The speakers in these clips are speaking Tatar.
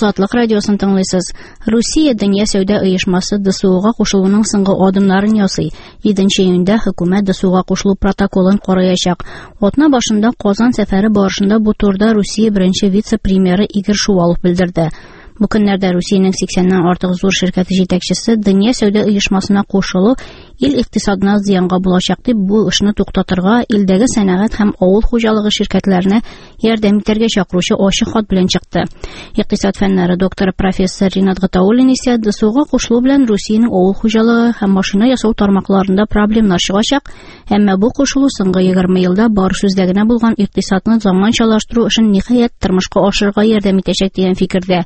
Азатлык радиосын тыңлыйсыз. Русия Дөнья сәүдә оешмасы ДСОга кушылуның соңгы адымнарын ясый. 7 июньдә хөкүмәт ДСОга кушылу протоколын караячак. Атна башында Казан сәфәре барышында бу турыда Русия беренче вице-премьеры Игорь Шувалов белдерде. Бу көннәрдә Русиянең 80-нән артык зур ширкәте җитәкчесе Дөнья сәүдә оешмасына кушылу ил икътисадына зыянга булачак дип бу эшне туктатырга, илдәге сәнәгать һәм авыл хуҗалыгы ширкәтләренә ярдәм итәргә чакыручы ачык хат белән чыкты. Икътисад фәннәре докторы профессор Ринат Гатауллин исә ДСУга кушылу белән Русиянең авыл хуҗалыгы һәм машина ясау тармакларында проблемнар чыгачак, әмма бу кушылу соңгы 20 елда бар сүздә генә булган икътисадны заманчалаштыру эшен ниһаять тормышка ашырырга ярдәм итәчәк дигән фикердә.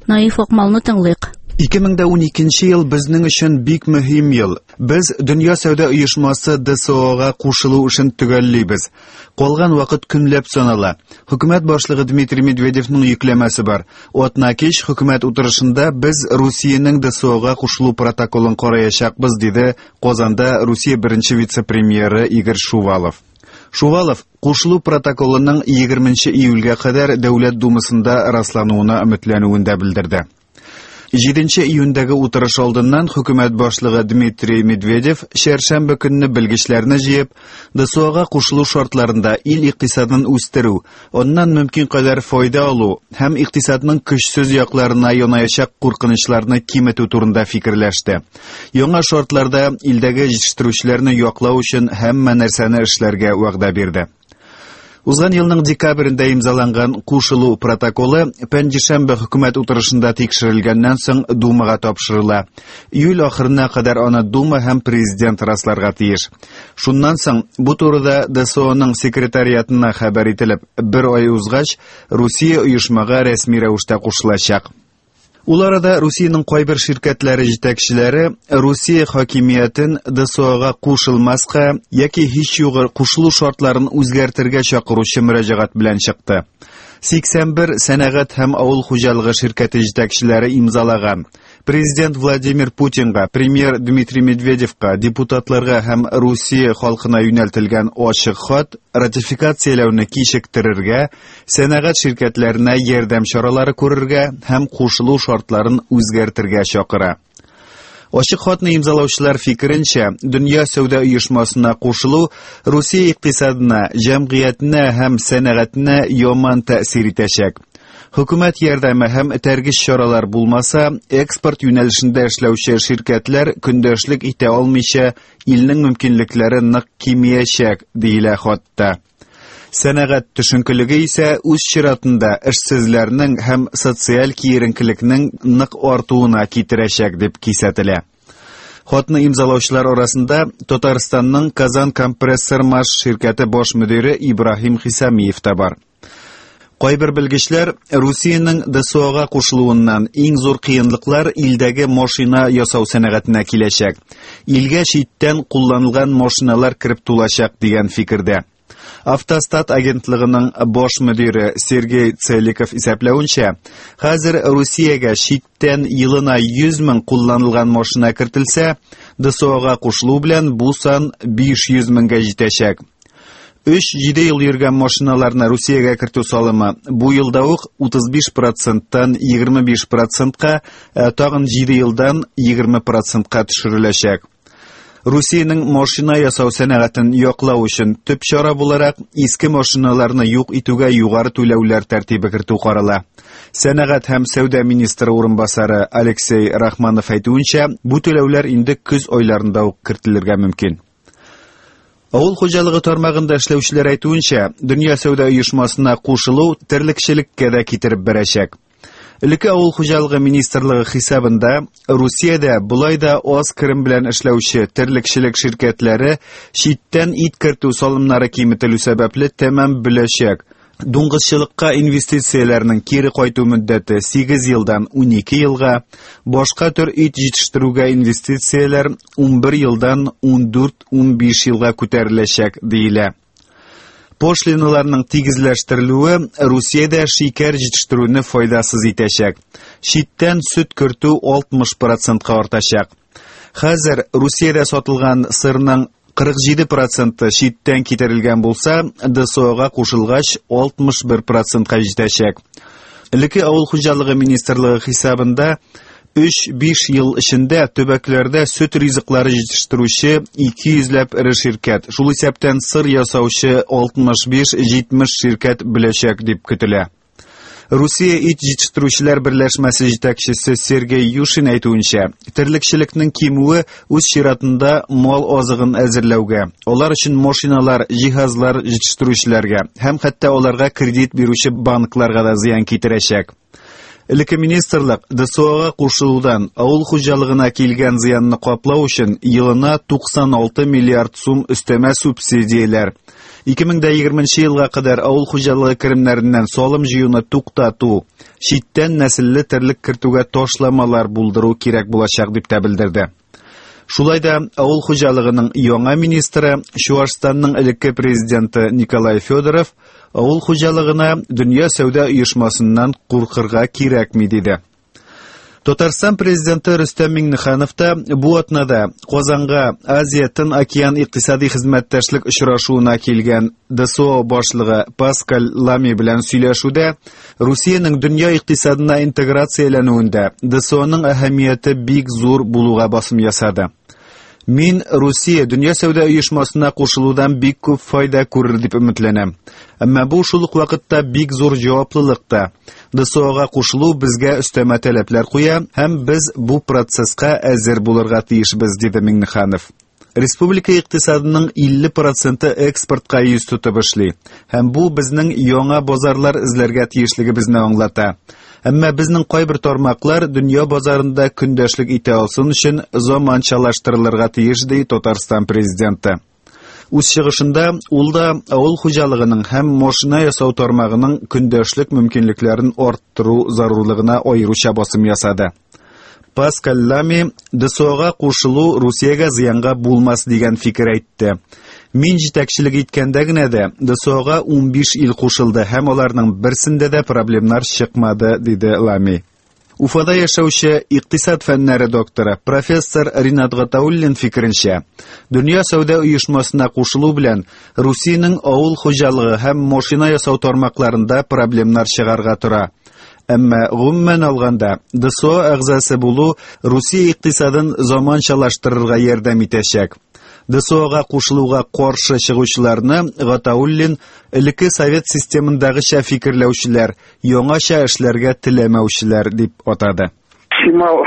Наиф Акмалны тыңлыйк. 2012 ел безнең өчен бик мөһим ел. Без Дөнья сәүдә оешмасы ДСОга кушылу эшен төгәллибез. Калган вакыт көнләп санала. Хөкүмәт башлыгы Дмитрий Медведевның йөкләмәсе бар. Атна кич хөкүмәт утырышында без Русиянең ДСОга кушылу протоколын караячакбыз, диде Казанда Русия беренче вице-премьеры Игорь Шувалов. Шувалов кушылу протоколының 20 июльгә кадәр Дәүләт Думасында раслануына өметләнүен дә белдерде. 7 июньдәге утырыш алдыннан хөкүмәт башлыгы Дмитрий Медведев чәршәмбе көнне белгечләрне җыеп, ДСОга кушылу шартларында ил икътисадын үстерү, аннан мөмкин кадәр файда алу һәм икътисадның көчсез якларына янаячак куркынычларны киметү турында фикерләште. Яңа шартларда илдәге җитештерүчеләрне яклау өчен һәммә нәрсәне эшләргә вәгъдә бирде. Узган елның декабрендә имзаланган кушылу протоколы пәнҗешәмбе хөкүмәт утырышында тикшерелгәннән соң Думага тапшырыла. Июль ахырына кадәр аны Дума һәм президент расларга тиеш. Шуннан соң бу турыда ДСОның секретариатына хәбәр ителеп, бер ай узгач, Русия оешмага рәсми рәвештә кушылачак. Ул арада Русиянең кайбер ширкәтләре җитәкчеләре Русия хакимиятен ДСОга кушылмаска яки һич югы кушылу шартларын үзгәртергә чакыручы мөрәҗәгать белән чыкты. 81 сәнәгать һәм авыл хуҗалыгы ширкәте җитәкчеләре имзалаган. Президент Владимир Путинга, премьер Дмитрий Медведевка, депутатларга һәм Русия халкына юнәлтелгән ачык хат ратификацияләүне кичектерергә, сәнәгать ширкәтләренә ярдәм чаралары күрергә һәм кушылу шартларын үзгәртергә чакыра. Ачык хатны имзалаучылар фикеренчә, Дөнья сәүдә оешмасына кушылу Русия икътисадына, җәмгыятенә һәм сәнәгатенә яман тәэсир итәчәк. Хөкүмәт ярдәме һәм этәргеч чаралар булмаса, экспорт юнәлешендә эшләүче ширкәтләр көндәшлек итә алмыйча, илнең мөмкинлекләре нык кимиячәк, диелә хатта. Сәнәгать төшенкелеге исә үз чиратында эшсезләрнең һәм социаль киеренкелекнең нык артуына китерәчәк дип кисәтелә. Хатны имзалаучылар арасында Татарстанның Казан компрессор маш ширкәте баш мөдире Ибраһим Хисамиев та бар. Кайбер белгечләр Русиянең ДСОга кушылуыннан иң зур кыенлыклар илдәге машина ясау сәнәгатенә киләчәк. Илгә читтән кулланылган машиналар кереп тулачак дигән фикердә. Автостат агентлыгының баш мөдире Сергей Целиков исәпләвенчә, хәзер Русиягә читтән елына 100 мең кулланылган машина кертелсә, ДСОга кушылу белән бу сан 500 меңгә җитәчәк. 3-7 ел йөргән машиналарны Русиягә кертү салымы бу елда ук 35 проценттан 25 процентка, ә тагын 7 елдан 20 процентка төшереләчәк. Русиянең машина ясау сәнәгатен яклау өчен төп чара буларак иске машиналарны юк итүгә югары түләүләр тәртибе кертү карала. Сәнәгать һәм сәүдә министры урынбасары Алексей Рахманов әйтүенчә, бу түләүләр инде көз айларында ук кертелергә мөмкин. Авыл хуҗалыгы тармагында эшләүчеләр әйтүенчә, Дөнья сәүдә оешмасына кушылу терлекчелеккә дә китереп бәрәчәк. Элекке авыл хуҗалыгы министрлыгы хисабында Русиядә болай да аз керем белән эшләүче терлекчелек ширкәтләре читтән ит кертү салымнары киметелү сәбәпле тәмам бөләчәк. Дуңгызчылыкка инвестицияләрнең кире кайту мөддәте 8 елдан 12 елга, башка төр ит җитештерүгә инвестицияләр 11 елдан 14-15 елга күтәреләчәк, диелә. Пошлиналарның тигезләштерелүе Русиядә шикәр җитештерүне файдасыз итәчәк. Читтән сөт кертү 60 процентка артачак. Хәзер Русиядә сатылган сырның 47 проценты читтән китерелгән булса, ДСОга кушылгач 61 процентка җитәчәк. Элекке авыл хуҗалыгы министрлыгы хисабында 3-5 ел эчендә төбәкләрдә сөт ризыклары җитештерүче 200 ләп эре ширкәт, шул исәптән сыр ясаучы 65-70 ширкәт беләчәк дип көтелә. Русия ит җитештерүчеләр берләшмәсе җитәкчесе Сергей Юшин әйтүенчә, терлекчелекнең кимүе үз чиратында мал азыгын әзерләүгә, алар өчен машиналар, җиһазлар җитештерүчеләргә һәм хәтта аларга кредит бирүче банкларга да зыян китерәчәк. Элекке министрлык ДСОга кушылудан авыл хуҗалыгына килгән зыянны каплау өчен елына 96 миллиард сум өстәмә субсидияләр, 2020 елга кадәр авыл хуҗалыгы керемнәреннән салым җыюны туктату, читтән нәселле терлек кертүгә ташламалар булдыру кирәк булачак дип тә белдерде. Шулай да авыл хуҗалыгының яңа министры, Чуашстанның элекке президенты Николай Федоров авыл хуҗалыгына Дөнья сәүдә оешмасыннан куркырга кирәкми диде. Татарстан президенты Рөстәм Миңнеханов та бу атнада Казанга Азия Тын океан икътисади хезмәттәшлек очрашуына килгән ДСО башлыгы Паскаль Лами белән сөйләшүдә Русиянең дөнья икътисадына интеграцияләнүендә ДСОның әһәмияте бик зур булуга басым ясады. Мин Русия Дөнья сәүдә оешмасына кушылудан бик күп файда күрер дип өметләнәм. Әмма бу шул ук вакытта бик зур җаваплылык та. ДСОга кушылу безгә өстәмә таләпләр куя һәм без бу процесска әзер булырга тиешбез, диде Миңнеханов. Республика икътисадының 50 проценты экспортка йөз тотып эшли, һәм бу безнең яңа базарлар эзләргә тиешлегебезне аңлата. Әмма безнең кайбер тармаклар дөнья базарында көндәшлек итә алсын өчен заманчалаштырылырга тиеш, ди Татарстан президенты. Үз чыгышында ул да авыл хуҗалыгының һәм машина ясау тармагының көндәшлек мөмкинлекләрен арттыру зарурлыгына аеруча басым ясады. Паскаль Лами ДСОга кушылу Русиягә зыянга булмас дигән фикер әйтте. Мин җитәкчелек иткәндә генә дә ДСОга 15 ил кушылды һәм аларның берсендә дә проблемнар чыкмады, диде Лами. Уфада яшәүче икътисад фәннәре докторы, профессор Ринат Гатауллин фикеренчә, Дөнья сәүдә оешмасына кушылу белән Русиянең авыл хуҗалыгы һәм машина ясау тармакларында проблемнар чыгарга тора. Әмма гомумән алганда, ДСО әгъзасы булу Русия икътисадын заманчалаштырырга ярдәм итәчәк. ДСОга кушылуга каршы чыгучыларны Гатауллин элекке совет системындагыча фикерләүчеләр, яңача эшләргә теләмәүчеләр дип атады. Чимал